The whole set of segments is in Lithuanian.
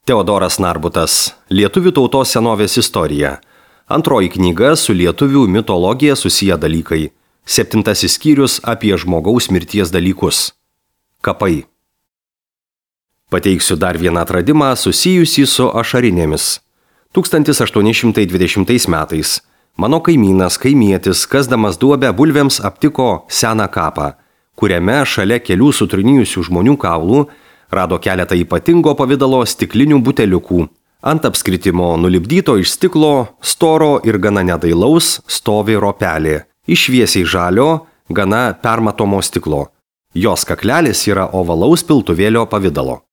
Teodoras Narbutas. Lietuvių tautos senovės istorija. Antroji knyga su lietuvių mitologija susiję dalykai. 7 skyrius apie žmogaus mirties dalykus. Kapai. Pateiksiu dar vieną atradimą susijusį su ašarinėmis. 1820 metais mano kaimietis, kasdamas duobę bulvėms, aptiko seną kapą, kuriame šalia kelių sutrinijusių žmonių kaulų rado keletą ypatingo pavidalo stiklinių buteliukų. Ant apskritimo nulipdyto iš stiklo, storo ir gana nedailaus stovi ropelė, iš šviesiai žalio, gana permatomo stiklo. Jos kaklelis yra ovalaus piltuvėlio pavidalo.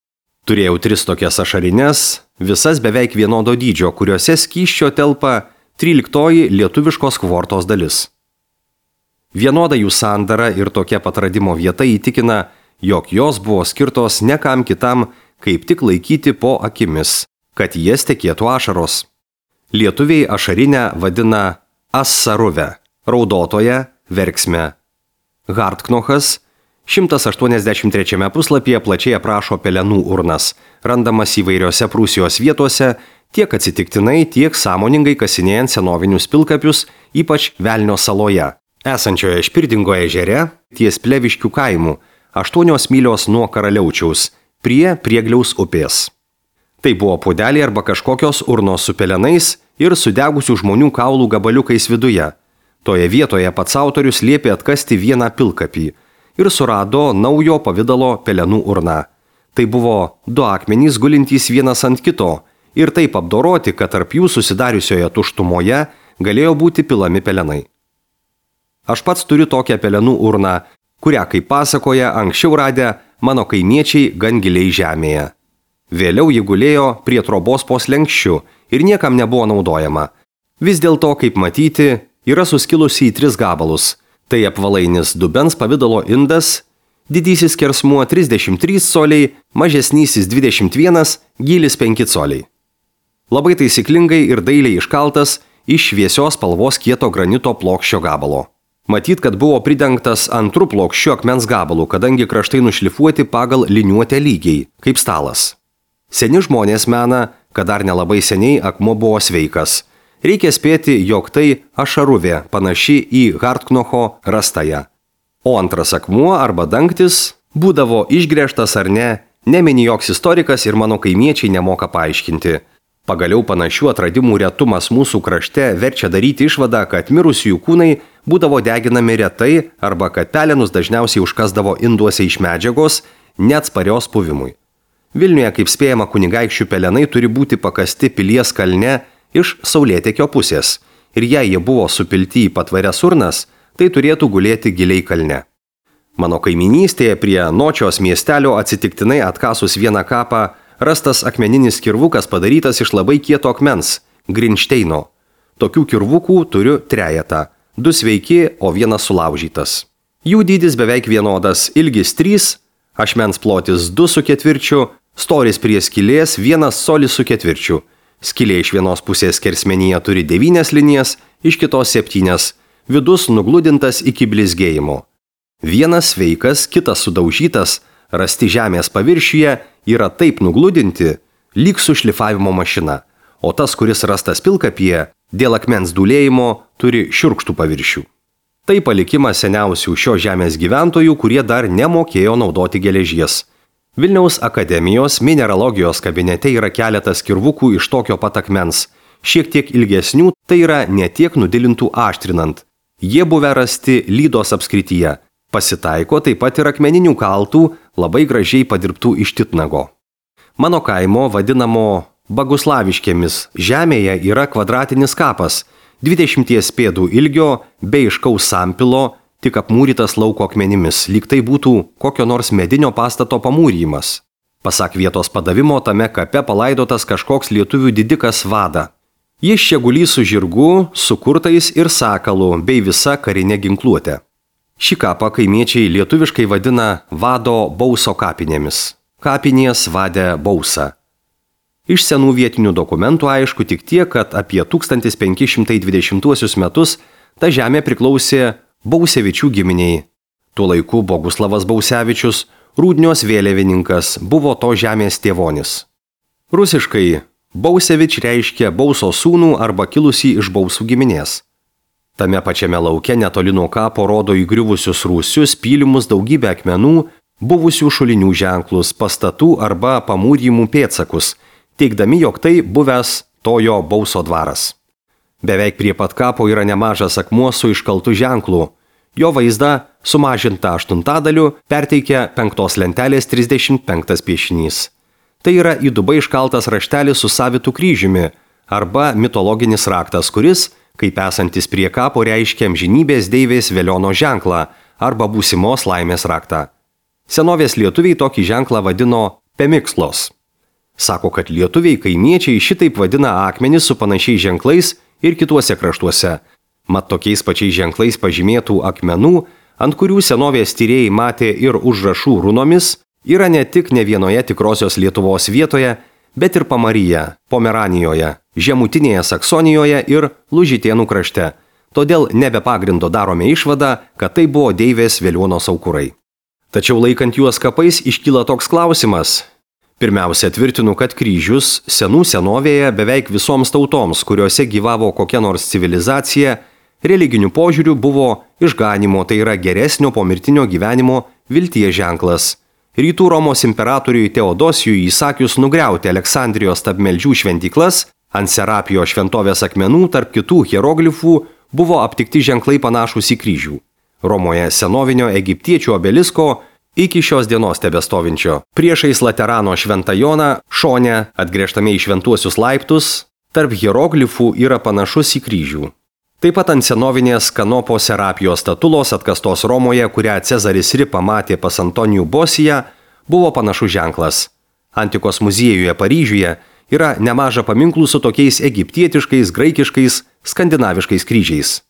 Turėjau 3 tokias ašarines, visas beveik vienodo dydžio, kuriuose skysčio telpa 13 lietuviškos kvortos dalis. Vienoda jų sandara ir tokia pat radimo vieta įtikina, jog jos buvo skirtos ne kam kitam, kaip tik laikyti po akimis, kad jas tekėtų ašaros. Lietuviai ašarinę vadina assaruve, raudotoje verksme. Hartknochas 183 puslapyje plačiai aprašo pelenų urnas, randamas įvairiose Prūsijos vietose, tiek atsitiktinai, tiek sąmoningai kasinėjant senovinius pilkapius, ypač Velnio saloje, esančioje Špirdingo ežere, ties Pleviškių kaimų, 8 mylios nuo Karaliaučiaus, prie Priegliaus upės. Tai buvo puodeliai arba kažkokios urnos su pelenais ir sudegusių žmonių kaulų gabaliukais viduje. Toje vietoje pats autorius liepė atkasti vieną pilkapį ir surado naujo pavidalo pelenų urną. Tai buvo 2 akmenys gulintys vienas ant kito ir taip apdoroti, kad tarp jų susidariusioje tuštumoje galėjo būti pilami pelenai. Aš pats turiu tokią pelenų urną, kurią, kaip pasakoja, anksčiau radę mano kaimiečiai gan giliai žemėje. Vėliau ji gulėjo prie trobos po slenkščiu ir niekam nebuvo naudojama. Vis dėlto, kaip matyti, yra suskilusi į 3 gabalus. Tai apvalainis dubens pavidalo indas, didysis skersmuo 33 coliai, mažesnysis 21, gylis 5 coliai. Labai taisyklingai ir dailiai iškaltas iš šviesios spalvos kieto granito plokščio gabalo. Matyt, kad buvo pridengtas antru plokščiu akmens gabalu, kadangi kraštai nušlifuoti pagal liniuotę lygiai, kaip stalas. Seni žmonės mena, kad dar nelabai seniai akmuo buvo sveikas. Reikia spėti, jog tai ašaruvė, panaši į Hartknocho rastąją. O antras akmuo arba dangtis būdavo išgręžtas ar ne, nemini joks istorikas ir mano kaimiečiai nemoka paaiškinti. Pagaliau panašių atradimų retumas mūsų krašte verčia daryti išvadą, kad mirusiųjų kūnai būdavo deginami retai arba kad pelenus dažniausiai užkasdavo induose iš medžiagos, neatsparios puvimui. Vilniuje, kaip spėjama, kunigaikščių pelenai turi būti pakasti pilies kalne iš saulėtekio pusės ir jei jie buvo supilti į patvarias urnas, tai turėtų gulėti giliai kalne. Mano kaiminystėje prie Nočios miestelio atsitiktinai atkasus vieną kapą rastas akmeninis kirvukas padarytas iš labai kieto akmens – Grinšteino. Tokių kirvukų turiu 3, 2 sveiki, o 1 sulaužytas. Jų dydis beveik vienodas – ilgis 3, ašmens plotis 2,25, storis prie skylės 1 colis su 4. Skylė iš vienos pusės skersmenyje turi 9 linijas, iš kitos 7, vidus nugludintas iki blizgėjimo. Vienas sveikas, kitas sudaužytas, rasti žemės paviršiuje yra taip nugludinti, lyg su šlifavimo mašina, o tas, kuris rastas pilkapyje, dėl akmens dūlėjimo turi šiurkštų paviršių. Tai palikimas seniausių šio žemės gyventojų, kurie dar nemokėjo naudoti geležies. Vilniaus akademijos mineralogijos kabinete yra keletas kirvukų iš tokio pat akmens, šiek tiek ilgesnių, tai yra ne tiek nudilintų aštrinant. Jie buvę rasti Lydos apskrityje. Pasitaiko taip pat ir akmeninių kaltų, labai gražiai padirbtų iš titnago. Mano kaimo, vadinamo Baguslaviškėmis, žemėje yra kvadratinis kapas, 20 pėdų ilgio, be aiškaus sampilo, tik apmūrytas lauko akmenimis, lyg tai būtų kokio nors medinio pastato pamūrymas. Pasak vietos padavimo, tame kape palaidotas kažkoks lietuvių didikas Vada. Jis čia gulys su žirgu, su kurtais ir sakalu, bei visa karinė ginkluotė. Šį kapą kaimiečiai lietuviškai vadina Vado Bauso kapinėmis. Kapinės Vadė Bausa. Iš senų vietinių dokumentų aišku tik tiek, kad apie 1520 metus ta žemė priklausė Bausevičių giminiai. Tuo laiku Boguslavas Bausevičius, Rūdnios vėliavininkas, buvo to žemės tėvonis. Rusiškai Bausevič reiškia Bauso sūnų arba kilusį iš Bausų giminės. Tame pačiame lauke netoli nuo kapo rodo įgriuvusius rūsius, pylimus, daugybę akmenų, buvusių šulinių ženklus, pastatų arba pamūrymų pėdsakus, teigdami, jog tai buvęs tojo Bauso dvaras. Beveik prie pat kapo yra nemažas akmuo su iškaltu ženklu. Jo vaizdą, sumažintą 8 perteikia 5 lentelės 35 piešinys. Tai yra į dubą iškaltas raštelis su savitu kryžiumi arba mitologinis raktas, kuris, kaip esantis prie kapo, reiškia amžinybės deivės Veliono ženklą arba būsimos laimės raktą. Senovės lietuviai tokį ženklą vadino pemikslos. Sako, kad lietuviai kaimiečiai šitaip vadina akmenis su panašiais ženklais ir kituose kraštuose. Mat tokiais pačiais ženklais pažymėtų akmenų, ant kurių senovės tyrėjai matė ir užrašų runomis, yra ne tik ne vienoje tikrosios Lietuvos vietoje, bet ir Pamaryje, Pomeranijoje, Žemutinėje Saksonijoje ir Lužitėnų krašte. Todėl nebe pagrindo darome išvadą, kad tai buvo deivės Velionos aukurai. Tačiau laikant juos kapais iškyla toks klausimas. Pirmiausia, tvirtinu, kad kryžius senų senovėje beveik visoms tautoms, kuriuose gyvavo kokia nors civilizacija, religinių požiūrių buvo išganimo, tai yra geresnio pomirtinio gyvenimo vilties ženklas. Rytų Romos imperatoriui Teodosijui įsakius nugriauti Aleksandrijos stabmeldžių šventyklas, ant Serapijo šventovės akmenų tarp kitų hieroglifų buvo aptikti ženklai panašūs į kryžių. Romoje senovinio egiptiečių obelisko iki šios dienos tebestovinčio. Priešais Laterano šventą Joną, šone, atgręžtame į šventuosius laiptus, tarp hieroglifų yra panašus į kryžių. Taip pat ant senovinės Kanopo Serapijos statulos atkastos Romoje, kurią Cezaris Ri pamatė pas Antonijų Bosiją, buvo panašus ženklas. Antikos muziejuje Paryžiuje yra nemaža paminklų su tokiais egiptietiškais, graikiškais, skandinaviškais kryžiais.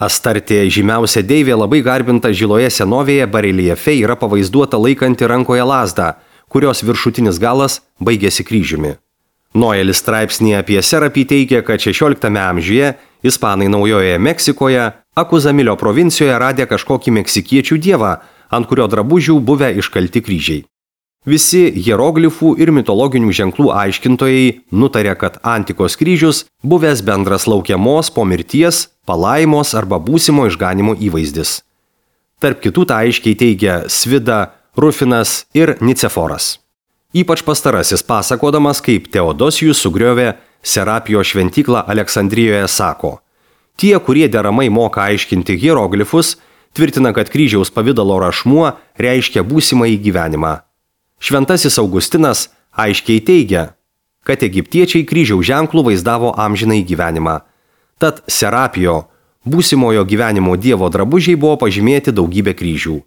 Astartė, žymiausia deivė, labai garbinta žiloje senovėje bareljefe, yra pavaizduota laikanti rankoje lazdą, kurios viršutinis galas baigėsi kryžiumi. Noelis straipsnėje apie Serapį teigia, kad 16 amžiuje ispanai Naujojoje Meksikoje, Akuzamilio provincijoje radė kažkokį meksikiečių dievą, ant kurio drabužių buvę iškalti kryžiai. Visi hieroglifų ir mitologinių ženklų aiškintojai nutarė, kad antikos kryžius buvęs bendras laukiamos po mirties, palaimos arba būsimo išganimo įvaizdis. Tarp kitų tą aiškiai teigia Svida, Rufinas ir Niceforas. Ypač pastarasis pasakodamas, kaip Teodosijus sugriovė Serapijo šventyklą Aleksandrijoje, sako: tie, kurie deramai moka aiškinti hieroglifus, tvirtina, kad kryžiaus pavydalo rašmuo reiškia būsimąjį gyvenimą. Šventasis Augustinas aiškiai teigia, kad egiptiečiai kryžiaus ženklų vaizdavo amžinąjį gyvenimą. Tad Serapijo, būsimojo gyvenimo dievo drabužiai, buvo pažymėti daugybė kryžių.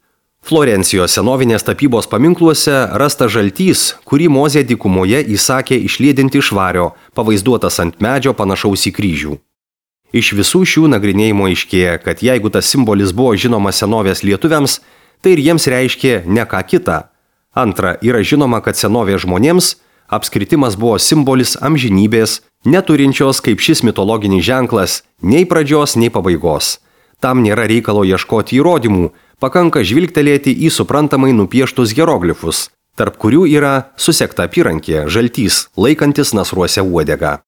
Florencijos senovinės tapybos paminkluose rasta žaltys, kurį Mozė dykumoje įsakė išliedinti iš vario, pavaizduotas ant medžio panašaus į kryžių. Iš visų šių nagrinėjimų aiškėja, kad jeigu tas simbolis buvo žinomas senovės lietuviams, tai ir jiems reiškė ne ką kitą. Antra, yra žinoma, kad senovės žmonėms apskritimas buvo simbolis amžinybės, neturinčios kaip šis mitologinis ženklas nei pradžios, nei pabaigos. Tam nėra reikalo ieškoti įrodymų, pakanka žvilgtelėti į suprantamai nupieštus hieroglifus, tarp kurių yra susekta apyrankė, žaltys, laikantis nasruose uodegą.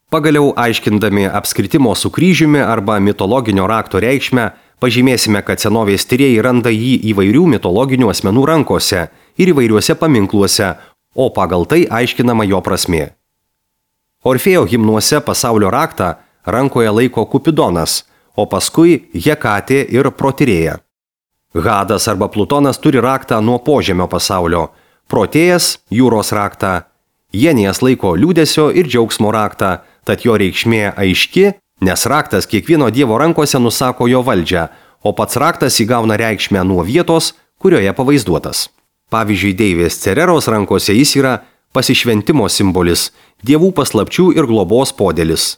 Pagaliau, aiškindami apskritimo su kryžiumi arba mitologinio rakto reikšmę, pažymėsime, kad senovės tyrėjai randa jį įvairių mitologinių asmenų rankose ir įvairiuose paminkluose, o pagal tai aiškinama jo prasmė. Orfėjo himnuose pasaulio raktą rankoje laiko Kupidonas, o paskui Hekatė ir Protirėja. Hadas arba Plutonas turi raktą nuo požemio pasaulio, Protėjas jūros raktą, Jenijas laiko liūdesio ir džiaugsmo raktą, tad jo reikšmė aiški, nes raktas kiekvieno dievo rankose nusako jo valdžią, o pats raktas įgauna reikšmę nuo vietos, kurioje pavaizduotas. Pavyzdžiui, deivės Cereros rankose jis yra pasišventimo simbolis, dievų paslapčių ir globos podėlis.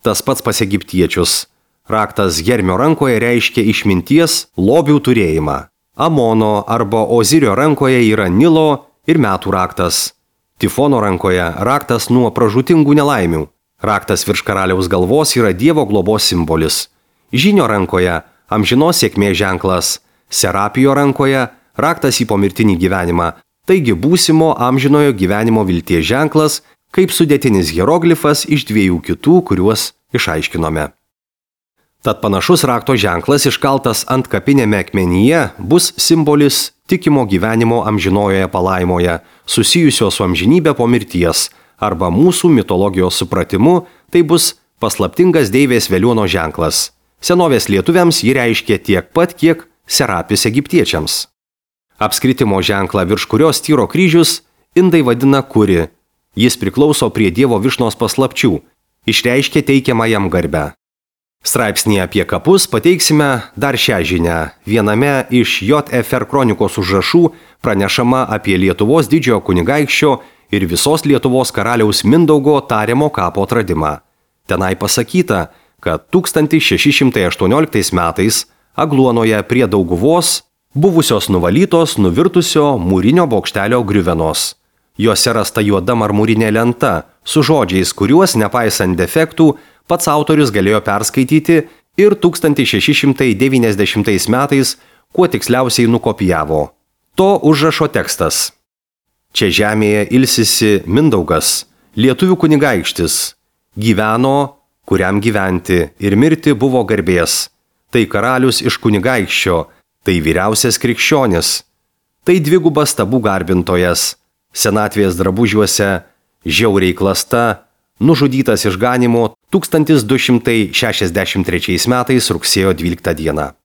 Tas pats pas egiptiečius. Raktas Hermio rankoje reiškia išminties, lobių turėjimą. Amono arba Ozirio rankoje yra Nilo ir metų raktas. Tifono rankoje raktas nuo pražūtingų nelaimių. Raktas virš karaliaus galvos yra dievo globos simbolis. Žynio rankoje amžinos sėkmės ženklas. Serapijo rankoje raktas į pomirtinį gyvenimą. Taigi būsimo amžinojo gyvenimo vilties ženklas, kaip sudėtinis hieroglifas iš 2 kitų, kuriuos išaiškinome. Tad panašus rakto ženklas iškaltas ant kapinėme akmenyje bus simbolis tikimo gyvenimo amžinojoje palaimoje, susijusio su amžinybė po mirties, arba mūsų mitologijos supratimu tai bus paslaptingas deivės veliuono ženklas. Senovės lietuviams jį reiškė tiek pat, kiek Serapis egiptiečiams. Apskritimo ženklą, virš kurio styro kryžius, indai vadina kuri. Jis priklauso prie Dievo Višnos paslapčių, išreiškia teikiamą jam garbę. Straipsnėje apie kapus pateiksime dar šią žinią. Viename iš JFR kronikos užrašų pranešama apie Lietuvos didžiojo kunigaikščio ir visos Lietuvos karaliaus Mindaugo tariamo kapo atradimą. Tenai pasakyta, kad 1618 metais Agluonoje prie Dauguvos buvusios nuvalytos nuvirtusio mūrinio bokštelio griuvenos. Jose rasta juoda marmurinė lenta su žodžiais, kuriuos, nepaisant defektų, pats autorius galėjo perskaityti ir 1690 metais kuo tiksliausiai nukopijavo. To užrašo tekstas. Čia žemėje ilsisi Mindaugas, lietuvių kunigaikštis, gyveno, kuriam gyventi ir mirti buvo garbės. Tai karalius iš kunigaikščio, tai vyriausias krikščionis, tai dvigubas stabų garbintojas, senatvės drabužiuose, žiauriai klasta, nužudytas išganymo 1263 metais rugsėjo 12 dieną.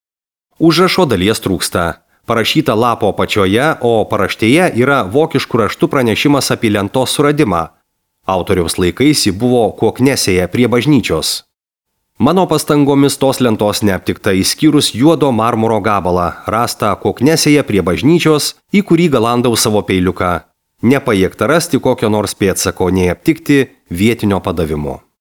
Užrašo dalies trūksta. Parašyta lapo apačioje, o paraštėje yra vokiškų raštų pranešimas apie lentos suradimą. Autoriaus laikais ji buvo Koknesėje prie bažnyčios. Mano pastangomis tos lentos neaptikta išskyrus juodo marmuro gabalą, rastą Koknesėje prie bažnyčios, į kurį galandau savo peiliuką. Nepajėgta rasti kokio nors pėdsako, nei aptikti vietinio padavimo.